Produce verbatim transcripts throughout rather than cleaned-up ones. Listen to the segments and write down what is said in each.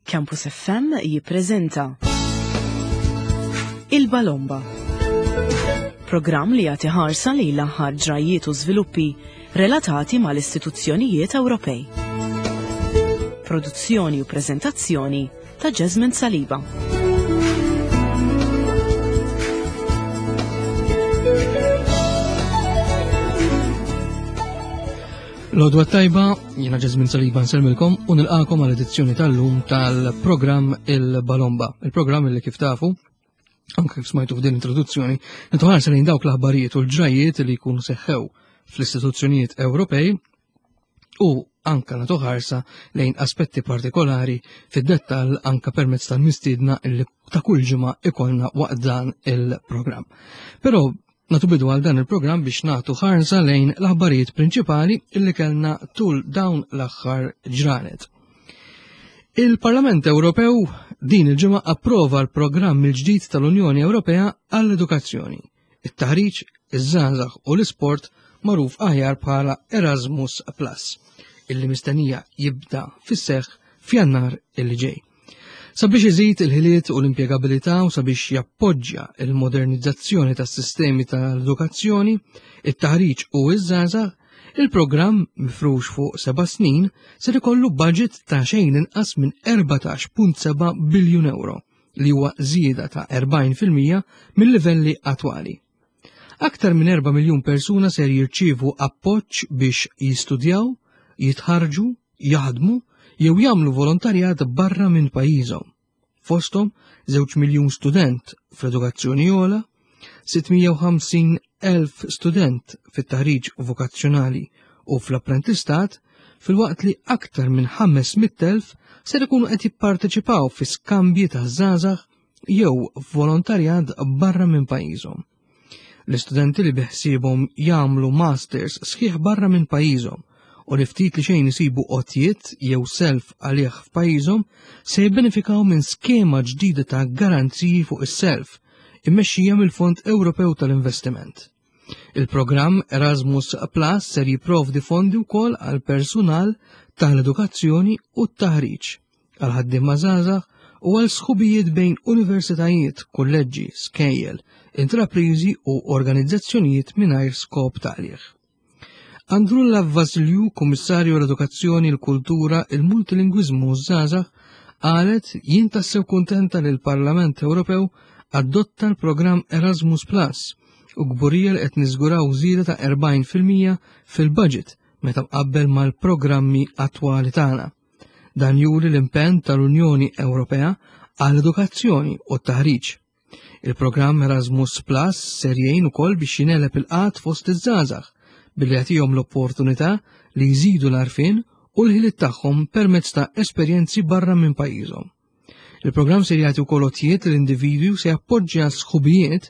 Campus F M jippreżenta Il-Balomba. Programm li jagħti ħarsa lejn l-aħħar ġrajiet u żviluppi relatati mal-istituzzjonijiet Ewropej. Produzzjoni u preżentazzjoni ta' Jasmine Saliba. L-għodwa tajba, jiena Jasmine Saliba nsellmilkom u nilqakom għal edizzjoni tal-lum tal-programm Il-Balomba. Il-programm li, kif tafu, anke kif smajtu f'din introduzzjoni, nagħtu ħarsa lejn dawk l-aħbarijiet u l-ġrajiet li jkunu seħħew fl-istituzzjonijiet Ewropej u anka nagħtu ħarsa lejn aspetti partikolari fid-dettall, anka permezz tal-mistiedna li ta' kull ġimgħa ikollna waqt dan il-programm. Però nagħtu bidu għal dan il-programm biex nagħtu ħarsa lejn l-aħbarijiet prinċipali illi kellna tul dawn l-aħħar ġranet. Il-Parlament Ewropew din il-ġimgħa approva l-programm il-ġdid tal-Unjoni Ewropea għall-edukazzjoni, it-taħriġ, iż-żgħażagħ u l-isport, magħruf aħjar bħala Erasmus Plus, illi mistennija jibda fis-seħħ f'Jannar illi ġej. Sabiex iżid il-ħiliet u l-impjegabilità u sabiex jappoġġja il-modernizzazzjoni tas-sistemi tal-edukazzjoni, it-taħriġ u iż-żgħażagħ, il-programm mifrux fuq seba' snin ser ikollu budget ta' xejn inqas minn erbatax punt seba' biljun euro, li huwa żieda ta' erbgħin fil-mija mill-livelli attwali. Aktar minn erba' miljun persuna ser jirċievu appoġġ biex jistudjaw, jitħarġu, jaħdmu jew jagħmlu volontarjat barra minn pajjiżhom. Fosthom żewġ miljun student fl-edukazzjoni ogħla, sitt mija u ħamsin elf student fit-taħriġ vokazzjonali u fl-apprentistat, filwaqt li aktar minn ħames mitt elf ser ikunu qed jipparteċipaw fi skambji ta' żgħażagħ jew volontarjat barra minn pajjiżhom. L-istudenti li beħsiebhom jagħmlu masters sħiħ barra minn pajjiżhom u li ftit li xejn isibu għotjiet jew self għalih f'pajjiżhom se jibbenefikaw minn skema ġdida ta' garanziji fuq is-self immexxija mill-Fond Ewropew tal-Investiment. Il-programm Erasmus Plus ser jipprovdi fondi wkoll għal personal tal-edukazzjoni u t-taħriġ, għal ħaddiema żgħażagħ u għal sħubijiet bejn universitajiet, kolleġġi, skejjel, intraprizi u organizzazzjonijiet mingħajr skop ta' qligħ. Androulla Vassiliou, Kummissarju l-Edukazzjoni, l-Kultura, il-Multilingwiżmu u ż-Żgħażagħ, qalet: "Jien tassew kuntenta li l-Parlament Ewropew adotta l-programm Erasmus Plus u kburija li qed niżguraw żieda ta' erbgħin fil-mija fil-budget meta mqabbel mal-programmi attwali tagħna. Dan juri l-impenn tal-Unjoni Ewropea għall-edukazzjoni u t-taħriġ. Il-programm Erasmus Plus ser jgħin ukoll biex jingħeleb il-qgħad fost iż-żgħażagħ billi jagħtihom l-opportunità li jżidu l-għarfien u l-ħiliet tagħhom permezz ta' esperjenzi barra minn pajjiżhom. Il-programm ser jagħti wkoll għotjiet l-individwi u se jappoġġja sħubijiet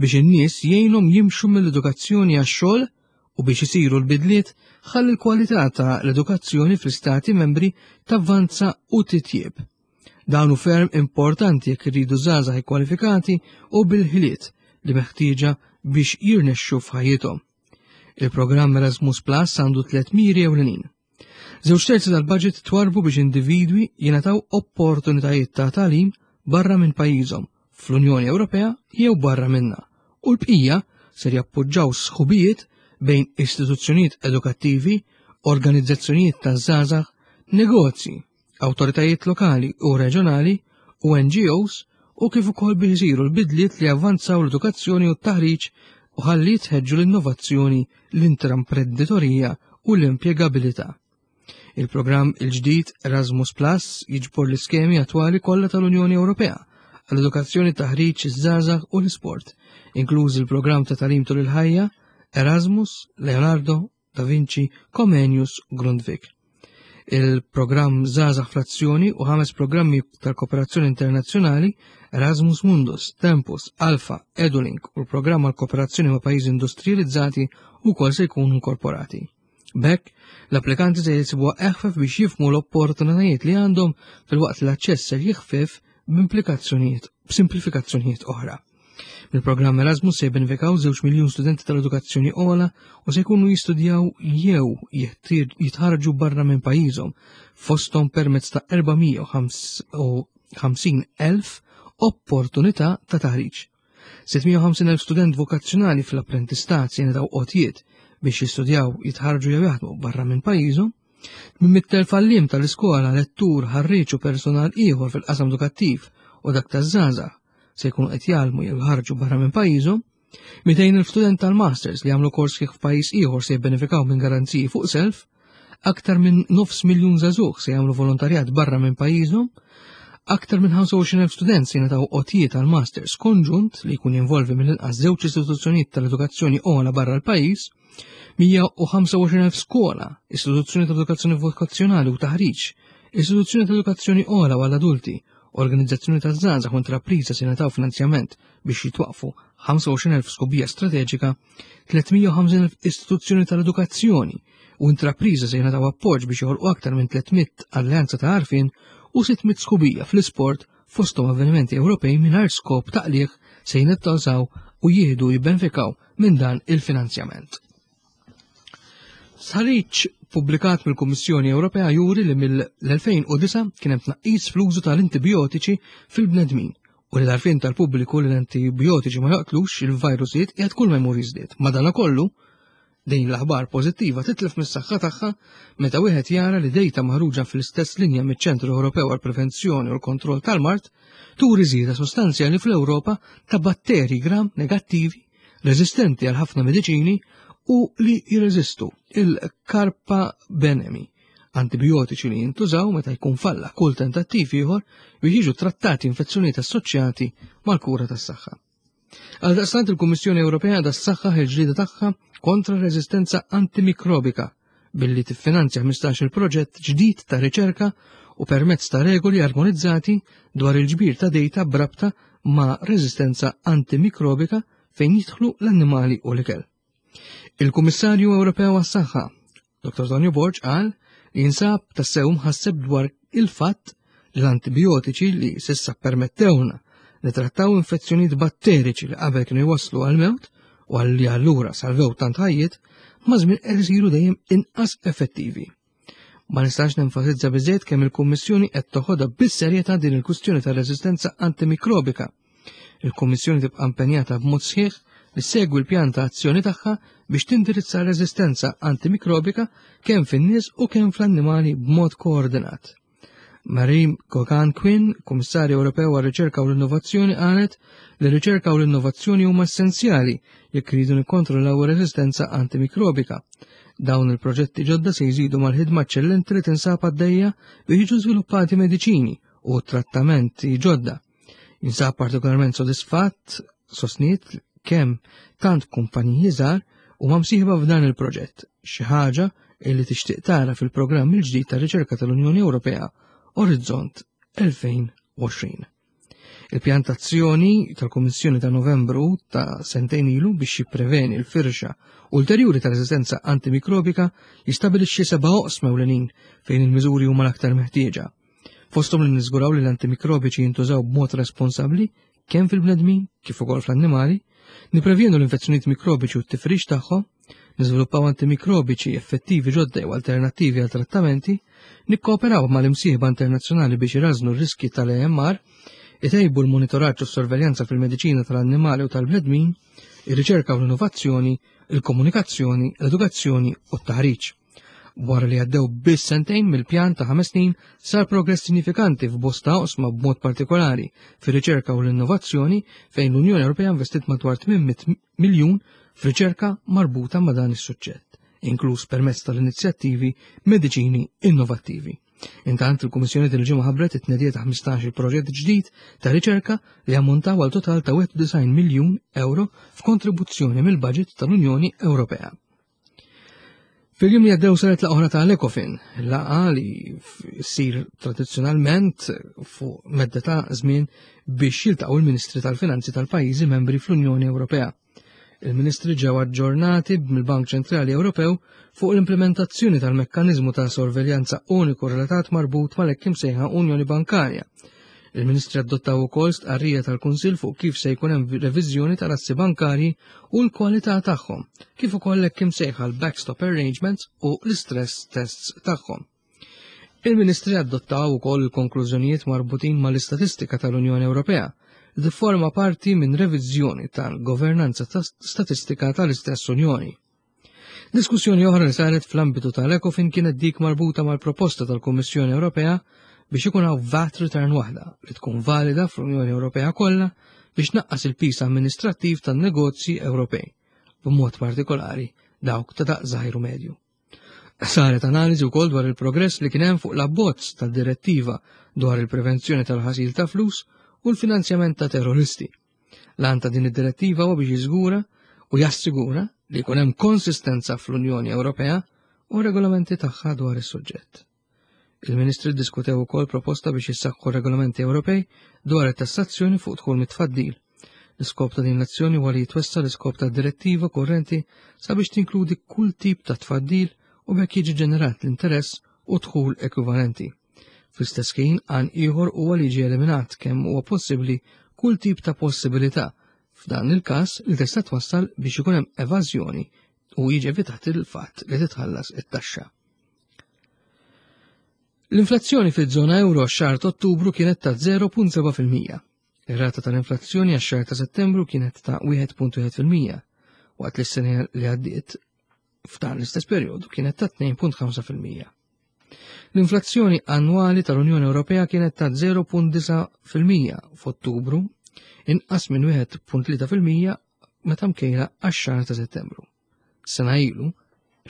biex in-nies jgħinhom jimxu mill-edukazzjoni għax-xogħol u biex isiru l-bidliet ħalli l-kwalità ta' l-edukazzjoni fl-istati membri tavvanza u titjieb. Dan hu ferm importanti jekk irridu żgħażagħ kwalifikati u bil-ħiliet li meħtieġa biex jirnexxu f'ħajjithom." Il-programm Erasmus Plus għandu tliet miri ewlenin. Żewġ terzi tal-budget twarbu biex individwi jingħataw opportunitajiet ta' tagħlim barra minn pajjiżhom fl-Unjoni Ewropea jew barra minna, u l-bqija ser jappoġġaw sħubijiet bejn istituzzjonijiet edukattivi, organizzazzjonijiet ta' żgħażagħ, negozji, awtoritajiet lokali u reġjonali u N G Os, u kif ukoll biex isiru l-bidliet li avvanzaw l-edukazzjoni u t-taħriġ u ħalli tħeġġu l-innovazzjoni, l-intraprenditorija u l-impjegabilità. Il-programm il-ġdid Erasmus Plus jiġbor l-iskemi attwali kollha tal-Unjoni Ewropea għall-edukazzjoni, taħriġ, iż-żgħażagħ u l-isport, inkluż il-programm ta' tagħlim tul il-ħajja Erasmus, Leonardo, Da Vinci, Comenius, Grundtvig, il-programm Żgħażagħ fl-Azzjoni u ħames programmi tal-kooperazzjoni internazzjonali: Erasmus Mundus, Tempus, Alpha, Edulink u l-programm għal kooperazzjoni ma' pajjiżi industrializzati ukoll se jkunu inkorporati. B'hekk, l-applikanti se jisibuha eħfef biex jifhmu l-opportunitajiet li għandhom, filwaqt l-aċċess se jiħfef b'implikazzjonijiet, b'simplifikazzjonijiet oħra. Mill-programm Erasmus se jibbenefikaw żewġ miljun studenti tal-edukazzjoni ogħla u se jkunu jistudjaw jew jitħarġu barra minn pajjiżhom, fosthom permezz ta' erba' mija u ħamsin elf opportunità ta' taħriġ. sitt mija u ħamsin elf student vokazzjonali fl-apprentistat se jingħataw għotjiet biex jistudjaw, jitħarġu jew jaħdmu barra minn pajjiżhom. Minn mitt elf għalliem tal-iskola, lettur, ħarriġ u personal ieħor fil-qasam edukattiv u dak taż-żgħażagħ se jkunu qed jgħallmu jew jħarġu barra minn pajjiżhom. Mitejn elf student tal-masters li jagħmlu kors kif f'pajjiż ieħor se jibbenefikaw minn garanziji fuq self. Aktar minn nofs miljun żagħżugħ se jagħmlu volontarjat barra minn pajjiżhom. Aktar minn ħamsa u għoxrin elf student se jingħataw għotjiet għal masters konġunt li jkun jinvolvi mill-inqas żewġ istituzzjonijiet tal-edukazzjoni ogħla barra l-pajjiż. Mija u ħamsa u għoxrin elf skola, istituzzjoni tal-edukazzjoni vokazzjonali u taħriġ, istituzzjoni tal-edukazzjoni ogħla għall adulti, organizzazzjoni taż-żgħażagħ u intrapriża se jingħataw finanzjament biex jitwaqfu ħamsa u għoxrin elf sħubija strateġika, tliet mija u ħamsin elf istituzzjoni tal-edukazzjoni u intrapriża se jingħataw appoġġ biex joħolqu aktar minn tliet mitt alleanza ta' għarfien u sitt mitt sħubija fl-isport fosthom avvenimenti Ewropej mingħajr skop ta' qligħ se jintużaw u jieħdu jibbenefikaw minn dan il-finanzjament. Stħarriġ pubblikat mill-Kummissjoni Ewropea juri li mill-elfejn u disa' kien hemm tnaqqis fl-użu tal-antibiotiċi fil-bnedmin u li l-għarfien tal-pubbliku li l-antibiotiċi ma joqtlux il-virusijiet qiegħed kull ma jmur jiżdied. Madanakollu, din l-aħbar pożittiva titlef mis-saħħa tagħha meta wieħed jara li dejta maħruġa fl-istess linja miċ-Ċentru Ewropew għall-Prevenzjoni u l-Kontroll tal-Mard turi żieda sostanzjali fl-Ewropa ta' batteri gram negattivi reżistenti għal ħafna mediċini u li jirreżistu il-karbapenemi, antibiotiċi li jintużaw meta jkun falla kull tentattiv ieħor biex jiġu trattati infezzjonijiet assoċjati mal-kura tas-saħħa. Għaldaqstant il-Kummissjoni Ewropea għadha ssaħħaħ il-ġlieda tagħha kontra r-reżistenza antimikrobika billi tiffinanzja ħmistax-il proġett ġdid ta' riċerka u permezz ta' regoli armonizzati dwar il-ġbir ta' dejta b'rabta ma' reżistenza antimikrobika fejn jidħlu l-annimali u l-ikel. Il-Kummissarju Ewropew għas-Saħħa, Doktor Tonio Borg, qal li jinsab tassew mħasseb dwar il-fatt li l-antibiotiċi li s'issa permettewna li trattaw infezzjonijiet batteriċi li qabel kienu jwasslu għal-mewt u għal li allura salvew tant ħajjiet, ma' żmien qed isiru dejjem inqas effettivi. Ma nistax nenfasizza biżejjed kemm il-Kummissjoni qed toħodha bis-serjetà din il-kwistjoni tar-reżistenza antimikrobika. Il-Kummissjoni tibqa' impenjata b'mod sħiħ li segwi l-pjan ta' azzjoni tagħha biex tindirizza r-reżistenza antimikrobika kemm fin-nies u kemm fl-annimali b'mod koordinat. Marie Geoghegan Quinn, Kummissarju Ewropew għar-Riċerka u l-Innovazzjoni, qalet li r-riċerka u l-innovazzjoni huma essenzjali jekk iridu nikkontrollaw ir-reżistenza antimikrobika. Dawn il-proġetti ġodda se jżidu mal-ħidma eċċellenti li tinsab għaddejja biex jiġu żviluppati mediċini u trattamenti ġodda. Jinsab partikolarment sodisfatt, sostniet, kemm tant kumpaniji żgħar huma msieħba f'dan il-proġett, xi ħaġa li tixtieq tara fil-programm il-ġdid ta' riċerka tal-Unjoni Ewropea Orizzont elfejn u għoxrin. Il-pjantazzjoni tal-Kummissjoni ta' Novembru ta' sentejn ilu biex jippreveni l-firxa ulterjuri ta' reżistenza antimikrobika jistabilixxi seba' oqsma ewlenin fejn il-miżuri huma l-aktar meħtieġa. Fosthom li niżguraw li l-antimikrobiċi jintużaw b'mod responsabbli kemm fil-bnedmin kif ukoll fl-annimali, nipprevjenu l-infezzjonijiet mikrobiċi u t-tifrix tagħhom, niżviluppaw antimikrobiċi effettivi ġodda jew alternattivi għal trattamenti, nikkooperaw mal-imsieħba internazzjonali biex irażnu r-riski tal-A M R, itejbu l-monitoraġġ u s-sorveljanza fil-mediċina tal-annimali u tal-bnedmin, ir-riċerka u l-innovazzjoni, il-komunikazzjoni, l-edukazzjoni u t-taħriġ. Wara li għaddew biss sentejn mill-pjan ta' ħames snin sar progress sinifikanti f'bosta oqsma b'mod partikolari fir-riċerka u l-innovazzjoni fejn l-Unjoni Ewropea investit madwar tmien mitt miljun f'riċerka marbuta ma' dan is-suġġett, inkluż permezz tal-inizjattivi Mediċini Innovattivi. Intant il-Kummissjoni din il-ġimgħa ħabbret it-tnedija ta' ħmistax-il proġett ġdid ta' riċerka li ammontaw għal total ta' wieħed u disgħin miljun euro f'kontribuzzjoni mill-budget tal-Unjoni Ewropea. Fil-jum li għaddew saret laqgħa oħra ta' l-Ecofin, laqgħa li ssir tradizzjonalment fuq medda ta' żmien biex jiltaqgħu l-Ministri tal-Finanzi tal-pajjiżi membri fl-Unjoni Ewropea. Il-Ministri ġew aġġornati mill-Bank Ċentrali Ewropew fuq l-implementazzjoni tal-mekkaniżmu ta' sorveljanza uniku relatat marbut mal-hekk imsejħa Unjoni Bankarja. Il-Ministri adottaw ukoll stqarrija tal-Kunsill fuq kif se jkun hemm reviżjoni tal-assi bankarji u l-kwalità tagħhom, kif ukoll hekk imsejħa l-backstop arrangements u l-istress tests tagħhom. Il-Ministri adottaw ukoll il-konklużjonijiet marbutin mal-istatistika tal-Unjoni Ewropea li tifforma parti minn reviżjoni tal-governanza statistika tal-istess Unjoni. Diskussjoni oħra li saret fl-ambitu tal-Ecofin kienet dik marbuta mal-proposta tal-Kummissjoni Ewropea biex ikun hawn VAT return waħda li tkun valida fl-Unjoni Ewropea kollha biex tnaqqas il-piż amministrattiv tan-negozji Ewropej, b'mod partikolari dawk ta' daqs żgħir u medju. Saret analiżi wkoll dwar il-progress li kien hemm fuq l-abbozz tad-direttiva dwar il-prevenzjoni tal-ħasil ta' flus u l-finanzjament ta' terroristi. L-għan ta' din id-direttiva huwa biex jiżgura u jassigura li jkun hemm konsistenza fl-Unjoni Ewropea u regolamenti tagħha dwar is-suġġett. Il-Ministri ddiskutew ukoll proposta biex jissaħħu regolamenti Ewropej dwar it-tassazzjoni fuq dħul mit-tfaddil. L-iskop ta' din l-azzjoni huwa li jitwessa l-iskop ta' direttiva korrenti sabiex tinkludi kull tip ta' tfaddil u b'hekk jiġi ġenerat l-interess u dħul ekwivalenti. Fl-istess ħin għan ieħor huwa li jiġi eliminat kemm huwa possibbli kull tip ta' possibilità f'dan il-każ li tista' twassal biex ikun hemm evażjoni u jiġi evitat il-fatt li titħallas it-taxxa. L-inflazzjoni fiż-żona euro x-xahar ta' Ottubru kienet ta' zero punt seba' fil-mija. Ir-rata tal-inflazzjoni għax-xahar ta' Settembru kienet ta' wieħed punt wieħed fil-mija, waqt li s-sena li għaddiet f'dan l-istess perjodu kienet ta' tnejn punt ħamsa fil-mija. L-inflazzjoni annwali tal-Unjoni Ewropea kienet ta' zero punt disa' fil-mija f'Ottubru, inqas minn wieħed punt tlieta fil-mija meta mkejla għax-xahar ta' Settembru. Sena ilu,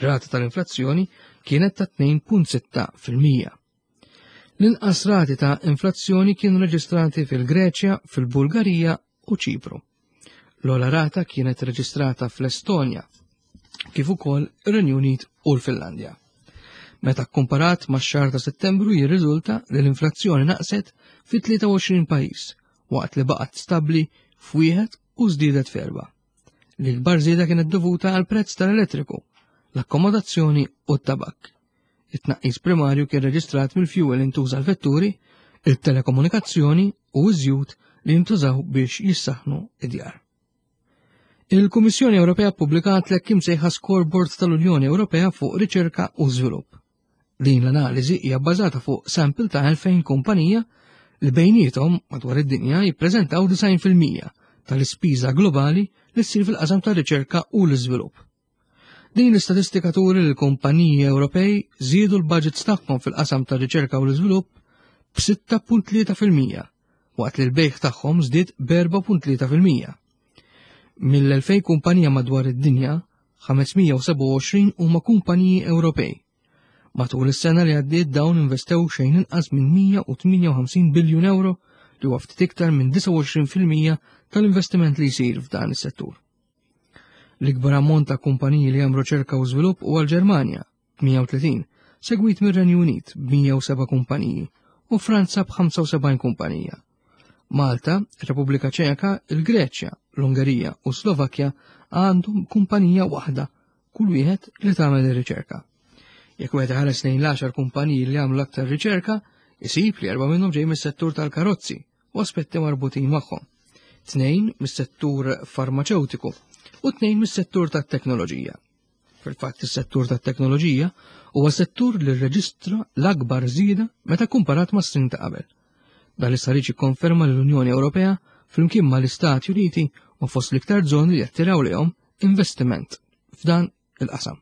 rata tal-inflazzjoni kienet ta' tnejn punt sitta fil-mija. L-inqas rati ta' inflazzjoni kienu reġistrati fil-Greċja, fil-Bulgarija u Ċipru. L-ogħla rata kienet reġistrata fl-Estonja, kif ukoll ir-Renju Unit u l-Finlandja. Meta kkomparat max-xahar ta' Settembru jirriżulta li l-inflazzjoni naqset fi tlieta u għoxrin pajjiż, waqt li baqgħet stabbli f'wieħed u żdiedet f'erba'. L-ikbar żieda kienet dovuta għal prezz tal-elettriku, l-akkomodazzjoni u t-tabak. It-tnaqqis primarju kien reġistrat mill-fuel li ntuża l-vetturi, il-telekomunikazzjoni u ż-żjut li jintużaw biex jissaħnu id-djar. Il-Kummissjoni Ewropea ppubblikat l-hekk imsejħa Scoreboard tal-Unjoni Ewropea fuq Riċerka u Żvilupp. Din l-analiżi hija bbażata fuq sample ta' elfejn kumpanija li bejniethom madwar id-dinja jippreżentaw disgħin fil-mija tal-ispiża globali li ssir fil-qasam tar-riċerka u l-iżvilupp. Din l-istatistika turi li l-kumpaniji Ewropej żiedu l-budgets tagħhom fil-qasam tar-riċerka u l-iżvilupp b'sitta punt tlieta fil-mija, waqt li l-bejgħ tagħhom żdied b'erba' punt tlieta fil-mija. Mill-elfejn kumpanija madwar id-dinja, ħames mija u sebgħa u għoxrin huma kumpaniji Ewropej. Matul is-sena li għaddiet dawn investew xejn inqas minn mija u tmienja u ħamsin biljun euro li huwa ftit iktar minn disgħa u għoxrin fil-mija tal-investiment li jsir f'dan is-settur. L-ikbar ammont ta' kumpaniji li għamlu riċerka u żvilupp huwa l-Ġermanja b'mija u tletin, segwit mir-Renju Unit b'mija u seba' kumpaniji u Franza b'ħamsa u sebgħin kumpanija. Malta, Repubblika Ċeka, il-Greċja, l-Ungerija u Slovakkja għandhom kumpanija waħda kull wieħed li tagħmel ir-riċerka. Jekk wieħed iħares lejn l-għaxar kumpaniji li għamlu l-aktar riċerka, isib li erba' minnhom ġej mis-settur tal-karozzi u aspetti marbutin magħhom. Tnejn mis-settur farmaceutiku u tnejn mis-settur tat-teknoloġija. Fil-fatt is-settur tat-teknoloġija huwa settur li rreġistra l-akbar żieda meta kumparat mas-snin ta' qabel. Dan l-istħarriġ jikkonferma li l-Unjoni Ewropea flimkien mal-Istati Uniti u fost l-iktar żoni li jattiraw lejhom investiment f'dan il-qasam.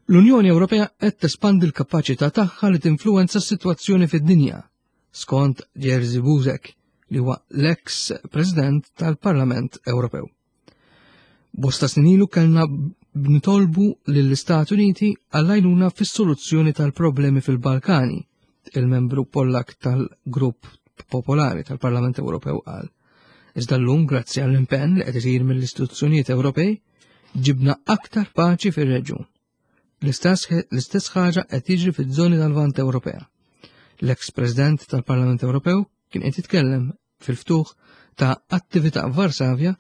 L-Unjoni Ewropea qed tespandi l-kapaċità tagħha li tinfluwenza s-sitwazzjoni fid-dinja, skont Jerzy Buzek, li huwa l-ex President tal-Parlament Ewropew. Bosta snin ilu kellna nitolbu lill-Istati Uniti għall-għajnuna fis-soluzzjoni tal-problemi fil-Balkani, il-membru Pollak tal-Grupp Popolari tal-Parlament Ewropew qal. Iżda llum, grazzi għall-impenn li qed isir mill-istituzzjonijiet Ewropej, ġibna aktar paċi fir-reġjun. L-istess ħaġa qed jiġri fiż-żoni tal-Lvant Ewropea. L-ex President tal-Parlament Ewropew kien qed jitkellem fil-ftuħ ta' attività f'Varsavja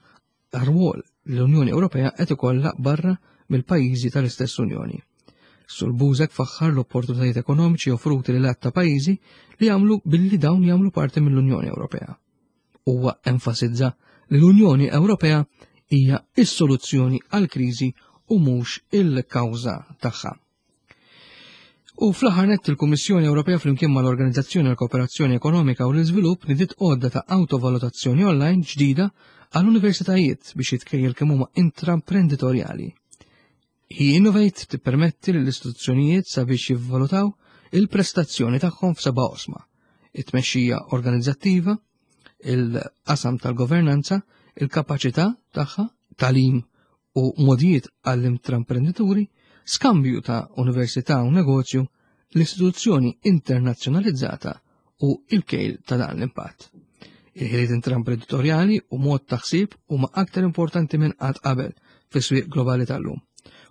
għar-rwol li l-Unjoni Ewropea qed ikollha barra mill-pajjiżi tal-istess Unjoni. Sur Buzek faħħar l-opportunitajiet ekonomiċi offruti lil ta' pajjiżi li jagħmlu billi dawn jagħmlu parti mill-Unjoni Ewropea. Huwa enfasizza li l-Unjoni Ewropea hija s-soluzzjoni għall-kriżi u mhux il-kawża tagħha. U fl-aħħar nett il-Kummissjoni Ewropea flimkien mal-Organizzazzjoni għall Kooperazzjoni Ekonomika u l-Iżvilupp nidiet għodda ta' awtovalutazzjoni online ġdida għall-universitajiet biex jitkejjel kemm huma intraprenditorjali. Hi Innovate tippermetti lill-istituzzjonijiet sabiex jivvalutaw il-prestazzjoni tagħhom f'seba' oqsma: it-tmexxija organizzattiva, il-qasam tal-governanza, il-kapaċità tagħha, tagħlim u modijiet għall-intraprendituri, skambju ta' università u negozju, l-istituzzjoni internazzjonalizzata u il-kejl ta' dan l-impatt. Il-ħiliet intraprenditorjali u mod ta' ħsieb huma aktar importanti minn qatt qabel fis-swieq globali tal-lum.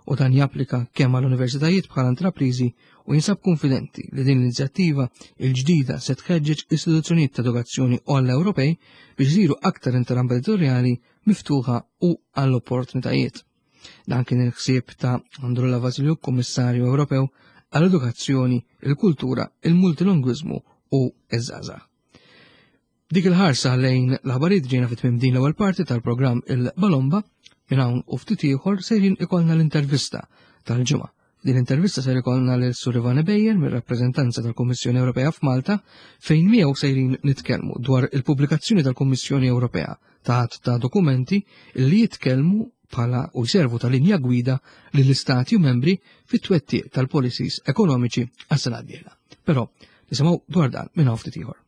U dan japplika kemm għall-universitajiet bħala intrapriżi u jinsab konfidenti li din l-inizjattiva il-ġdida se tħeġġeġ istituzzjonijiet ta' edukazzjoni għall Ewropej biex isiru aktar intraprenditorjali, miftuħa u għall-opportunitajiet. Dan kien il-ħsieb ta' Androulla Vassiliou, Kummissarju Ewropew għall-Edukazzjoni, il-Kultura, il-Multilingwiżmu u iż-Żgħażagħ. Dik il-ħarsa lejn l-aħbarijiet ġejna fit tmiem din l-ewwel parti tal-programm Il-Balomba. Minn hawn u ftit ieħor sejrin ikollna l-intervista tal-ġimgħa. Din l-intervista ser ikollna lil Sur Ivan Ebejer mir-rappreżentanza tal-Kummissjoni Ewropea f'Malta, fejn miegħu sejrin nitkellmu dwar il-pubblikazzjoni tal-Kummissjoni Ewropea ta' ta' dokumenti li jitkellmu bħala u jservu ta' linja gwida lill-istati u membri fit-twettiq tal-policies ekonomiċi għas-sena d-dieħla. Però nisimgħu dwar dan minn hawn ftit ieħor.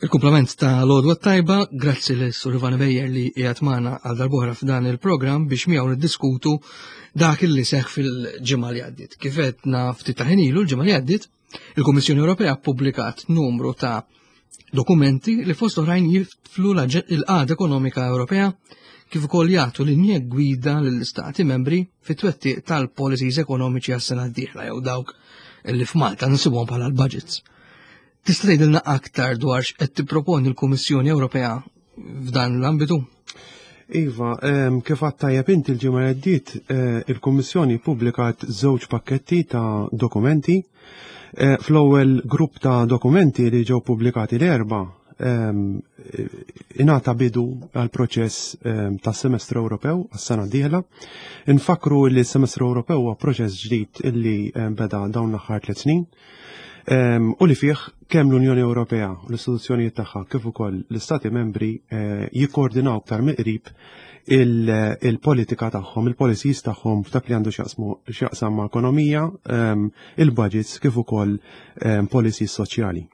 Il-kumplament ta' l-għodwa tajba, grazzi lil Sur Ivan Bejer li qiegħed magħna għal darb'oħra f'dan il-programm biex miegħu niddiskutu dak li seħħ fil-ġimgħa li għaddiet. Kif għedna ftit ta' ħin ilu, l-ġimgħa li għaddiet, il-Kummissjoni Ewropea ppubblikat numru ta' dokumenti li fost oħrajn jiflu l-qagħda ekonomika Ewropea kif ukoll jagħtu linja gwida lill-istati membri fit-twettiq tal-policies ekonomiċi għas-sena d-dieħla jew dawk li f'Malta nsibuhom bħala l-budgets. Tista' tgħidilna aktar dwar x'qed tipproponi l-Kummissjoni Ewropea f'dan l-ambitu? Iva, kif għedt tajjeb inti, l-ġimgħa li għaddiet eh, il-Kummissjoni publikat żewġ pakketti ta' dokumenti. Eh, fl-ewwel grupp ta' dokumenti li ġew pubblikati l-Erbgħa ingħata bidu għal proċess tas semestru Ewropew għas-sena d-dieħla. Infakru li s-semestru Ewropew huwa proċess ġdid illi beda dawn l-aħħar tliet snin u li fih kemm l-Unjoni Ewropea u l-istituzzjonijiet tagħha kif ukoll l-Istati membri eh, jikkoordinaw aktar mill-qrib il-politika tagħhom, il-policies tagħhom f'dak li għandu x'jaqsam ma' ekonomija, il-budgets kif ukoll policies soċjali.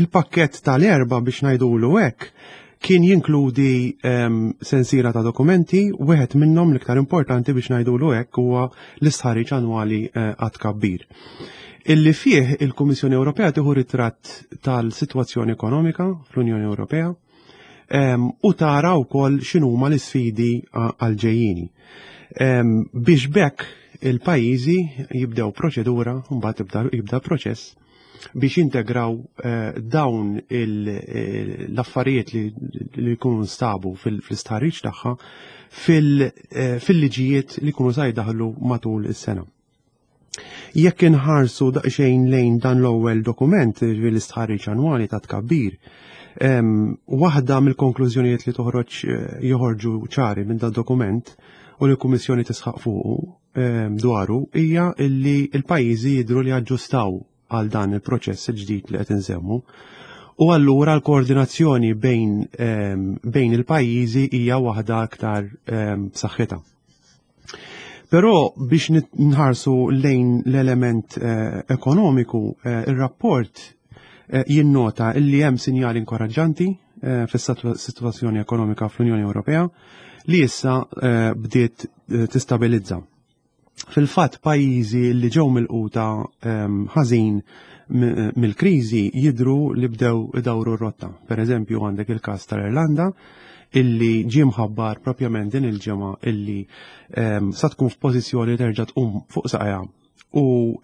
Il-pakket tal-Erbgħa, biex ngħidulu hekk, kien jinkludi sensiela ta' dokumenti. Wieħed minnhom l-iktar importanti, biex ngħidulu hekk, huwa l-istħarriġ annwali eh, għat-tkabbir illi fih il-Kummissjoni Ewropea tieħu ritratt tal-sitwazzjoni ekonomika fl-Unjoni Ewropea u tara wkoll x'inhuma l-isfidi għal-ġejjini. Biex b'hekk il-pajjiżi jibdew proċedura, mbagħad jibda proċess biex integraw eh, dawn l-affarijiet li jkunu nstabu fil-istħarriġ tagħha eh, fil-liġijiet li jkunu sa jdaħlu matul is-sena. Jekk inħarsu daqsxejn lejn dan l-ewwel dokument, l-istħarriġ annwali ta' tkabbir, waħda mill-konklużjonijiet li toħroġ eh, joħorġu ċari minn dan dokument u li l-Kummissjoni tisħaq fuqu dwaru hija li l-pajjiżi jidhru li aġġustaw għal dan il-proċess il-ġdid li qed insemmu. U allura l-koordinazzjoni bejn, bejn il-pajjiżi hija waħda aktar b'saħħitha. Però biex nħarsu lejn l-element eh, ekonomiku, eh, il-rapport eh, jinnota illi hemm sinjali inkoraġġanti fis-sitwazzjoni ekonomika fl-Unjoni Ewropea li issa bdiet tistabilizza. Fil-fatt, pajjiżi li ġew milquta ħażin mill-kriżi jidru li bdew idawru r-rotta. Per eżempju, għandek il-każ tal-Irlanda, illi ġie mħabbar propjament din il-ġimgħa illi sa tkun f'pożizzjoni terġa' tqum fuq saqajha u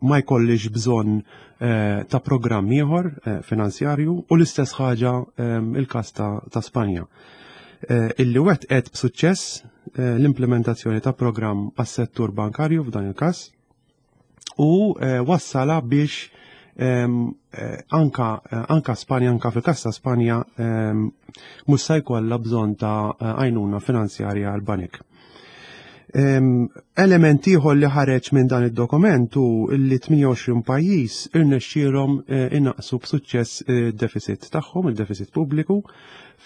ma jkollix bżonn eh, ta' programm ieħor eh, finanzjarju, u l-istess ħaġa il-każ ta' Spanja, eh, illi wettqet b'suċċess l-implementazzjoni ta' programm għas-settur bankarju f'dan il-każ u wassala biex anka, anka Spanja, anka fil-każ ta' Spanja, mhux se jkollha bżonn ta' għajnuna finanzjarja għal banek. Element ieħor li ħareġ minn dan id-dokument hu li tmienja u għoxrin pajjiż irnexxielhom eh, innaqsu b'suċċess id-deficit tagħhom, il-deficit pubbliku.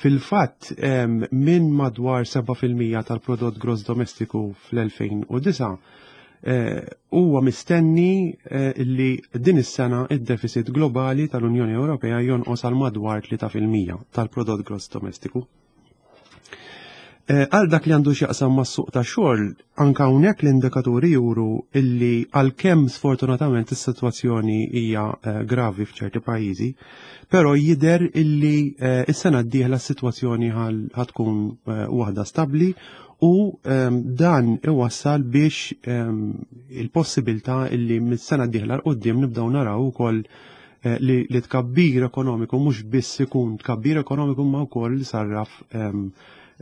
Fil-fatt, minn madwar seba' fil-mija tal-prodott gross domestiku fl-elfejn u disgħa, eh, huwa mistenni eh, li din is-sena id-deficit globali tal-Unjoni Ewropea jonqos għal madwar tlieta fil-mija tal-prodott gross domestiku. Eh, għal dak li għandu x'jaqsam mas-suq ta' xogħol, anka hawnhekk l-indikaturi juru illi għalkemm sfortunatament is-sitwazzjoni hija eh, gravi f'ċerti pajjiżi, però jidher illi eh, is-sena d-dieħla s-sitwazzjoni ħa tkun waħda stabbli u ehm, dan iwassal biex ehm, il-possibilità illi mis-sena d-dieħla 'l quddiem nibdew naraw ukoll li, li tkabbir ekonomiku mhux biss ikun tkabbir ekonomiku, ma wkoll sarraf ehm,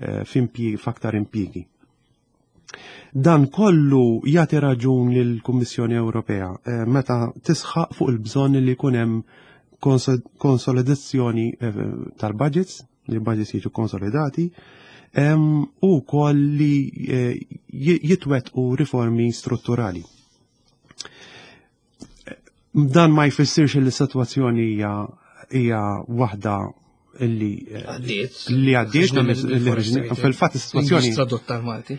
Eh, f'aktar impjiegi. Dan kollu jagħti raġun lill-Kummissjoni Ewropea eh, meta tisħaq fuq il-bżonn li jkun hemm konsolidazzjoni eh, tal-budgets, li l-budgets jiġu konsolidati, u wkoll li jitwettqu riformi strutturali. Dan ma jfissirx li s-sitwazzjoni hija hija waħda illi għaddiet. Li għaddiet, fil-fatt is-sitwazzjoni Tradotta Malti.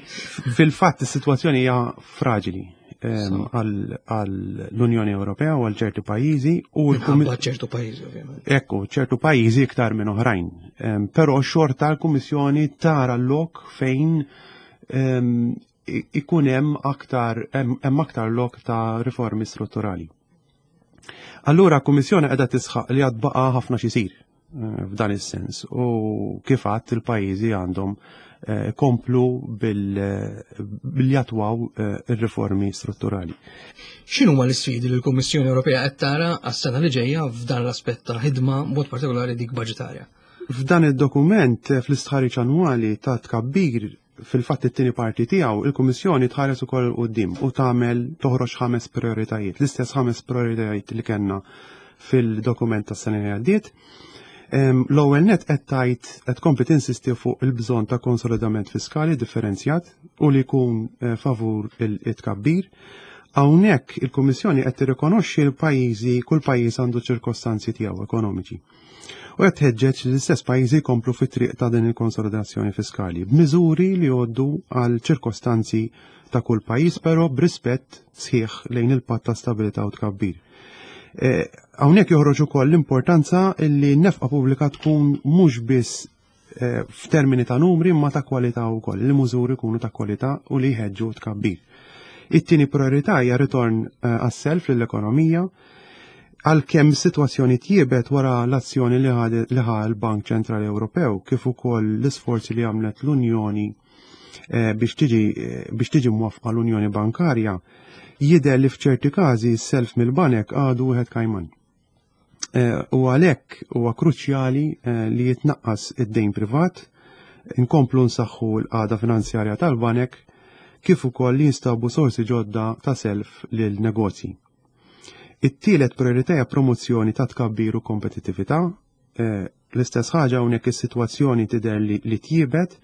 Fil-fatt, is-sitwazzjoni hija fraġili għall-Unjoni Ewropea u għal ċertu pajjiżi u ċertu pajjiżi, ovvjament. Ekku, ċertu pajjiżi iktar minn oħrajn. Però xorta l-Kummissjoni tara l-lok fejn ikun hemm aktar hemm aktar lok ta' riformi strutturali. Allura, l-Kummissjoni qiegħda tisħaq li għad baqa' ħafna xisir eh, f'dan is-sens u kif għadt, il-pajjiżi għandhom eh, komplu bil-jattwaw eh, ir-riformi strutturali. X'inhuma l-isfidi li l-Kummissjoni Ewropea qed tara għas-sena li ġejja f'dan l-aspett ta' ħidma, mod partikolari dik budġetarja? F'dan id-dokument, fl-istħarriġ annwali ta' tkabbir, fil-fatt it-tieni parti tiegħu, il-Kummissjoni tħares ukoll quddiem u tagħmel toħroġ ħames prioritajiet, l-istess ħames prioritajiet li kellna fil-dokument tas-sena li għaddiet. L-ewwel net, qed tgħid, qed tkompli tinsisti fuq il-bżonn ta' konsolidament fiskali differenzjat u li jkun eh, favur it-tkabbir. Hawnhekk il-Kummissjoni qed tirrikonoxxi l-pajjiżi, kull pajjiż għandu ċirkostanzi tiegħu ekonomiċi. U qed tħeġġeġ li l-istess pajjiżi jkomplu fit-triq ta' din il-konsolidazzjoni fiskali b'miżuri li jgħoddu għal ċirkostanzi ta' kull pajjiż, però b'rispett sħiħ lejn il-Patt ta' Stabilità u Tkabbir. Eh, hawnhekk joħroġ ukoll l-importanza li n-nefqa pubblika tkun mhux biss eh, f'termini ta' numri ma ta' kwalità wkoll, li miżuri jkunu ta' kwalità u li jħeġġu tkabbir. It-tieni priorità hija ritorn eh, għas-self lill-ekonomija. Għalkemm sitwazzjoni tjiebet wara l-azzjoni li ħa l-Bank Ċentrali Ewropew kif ukoll l-isforzi li għamlet l-Unjoni biex tiġi biex tiġi mwafqa l-Unjoni Bankarja, jidher li f'ċerti każi s-self mill-banek għadu wieħed kajman. Eh, u għalhekk huwa kruċjali eh, li jitnaqqas id-dejn privat, inkomplu nsaħħu l-qagħda finanzjarja tal-banek, kif ukoll li jinstabu sorsi ġodda ta' self lil negozji. It-tielet priorità hija promozzjoni ta' tkabbir u kompetittività. Eh, l-istess ħaġa hawnhekk, is-sitwazzjoni tidher li, li tjiebet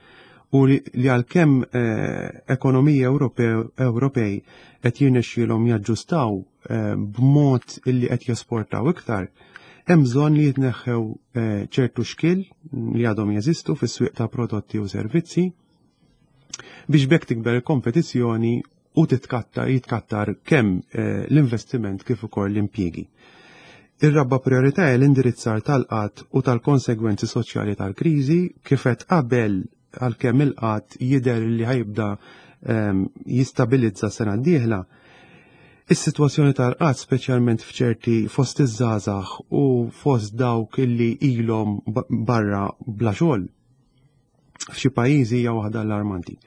u li, li għalkemm eh, ekonomiji Ewropej qed jirnexxielhom jaġġustaw eh, b'mod illi qed jesportaw iktar, hemm bżonn li jitneħħew eh, ċertu xkil li għadhom jeżistu fis-swieq ta' prodotti u servizzi biex b'hekk tikber il-kompetizzjoni u titkattar jitkattar kemm eh, l-investiment kif ukoll l-impjiegi. Ir-raba' priorità hija l-indirizzar tal-qgħad utal-konsegwenzi soċjali tal-kriżi. Kif għedt qabel, għalkemm il-qgħad jidher li ħa jibda ehm, jistabilizza sena d-dieħla, is-sitwazzjoni tal-qgħad, speċjalment f'ċerti fost iż-żgħażagħ u fost dawk illi ilhom barra bla xogħol, f'xi pajjiżi hija waħda allarmanti.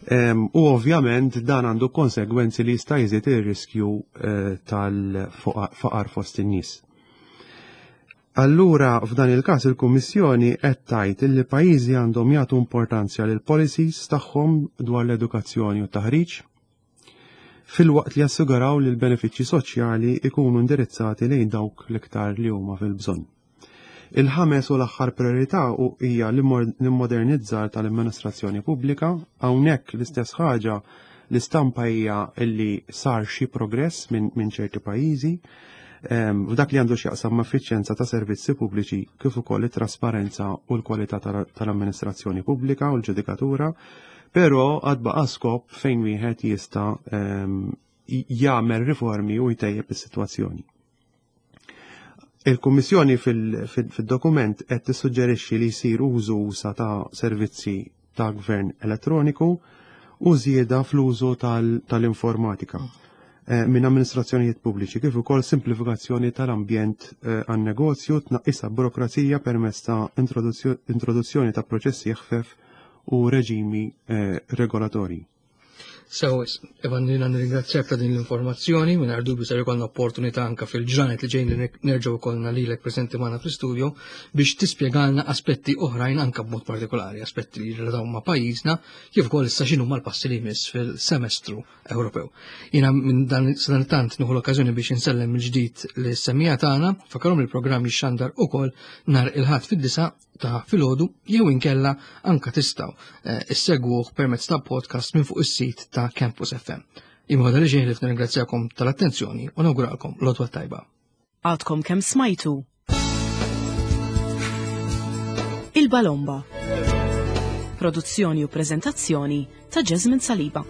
U ovvjament dan għandu konsegwenzi li jista' jżid ir-riskju eh, tal-faqar fost in-nies. Allura, f'dan il-każ, il-Kummissjoni qed tgħid li pajjiżi għandhom jagħtu importanza lil policies tagħhom dwar l-edukazzjoni u t-taħriġ, filwaqt li jassiguraw li l-benefiċċji soċjali ikunu indirizzati lejn dawk l-iktar li huma fil-bżonn. Il-ħames u l-aħħar priorità hija l-immodernizzar tal-amministrazzjoni pubblika. Hawnhekk l-istess ħaġa, l-istampa hija li sar xi progress minn min ċerti pajjiżi f'dak li għandu x'jaqsam ma' effiċjenza ta' servizzi pubbliċi kif ukoll it-trasparenza u l-kwalità tal-amministrazzjoni pubblika u l-ġudikatura, però għad baqa' skop fejn wieħed jista' jagħmel riformi u jtejjeb is-sitwazzjoni. Il-Kummissjoni fil-dokument qed tissuġġerixxi li jsir użu usa' ta' servizzi ta' gvern elettroniku u żieda fl-użu tal-informatika eh, minn amministrazzjonijiet pubbliċi, kif ukoll simplifikazzjoni tal-ambjent eh, għan-negozju, tnaqqis burokrazija permezz ta' introduzzjoni ta' proċessi ħfef u reġimi eh, regolatorji. Sew, Evan, jiena nirringrazzjak ta' din l-informazzjoni. Minn dubju ser ikollna opportunità anka fil-ġranet li ġejn li nerġgħu ikollna lilek preżenti magħna fl-istudio biex tispjegalna aspetti oħrajn, anka b'mod partikolari aspetti li jirrelataw ma' pajjiżna, kif ukoll issa x'inhu mal-passi li jmiss fil-semestru Ewropew. Jiena minn dan tant nieħu l-okkażjoni biex insellem il-ġdid lis-semmiegħa tagħna, infakkarhom il-programm jixxandar ukoll nhar il-Ħadd fid-disgħa ta' filgħodu jew inkella anka tistgħu eh, issegwuh permezz ta' podcast minn fuq is-sit ta' Campus F M. Imma li ġejn li nirringrazzjakom tal-attenzjoni u nawguralkom l-għodwa tajba. Għadkom kemm smajtu Il-Balomba. Produzzjoni u prezentazzjoni ta' Jasmine Saliba.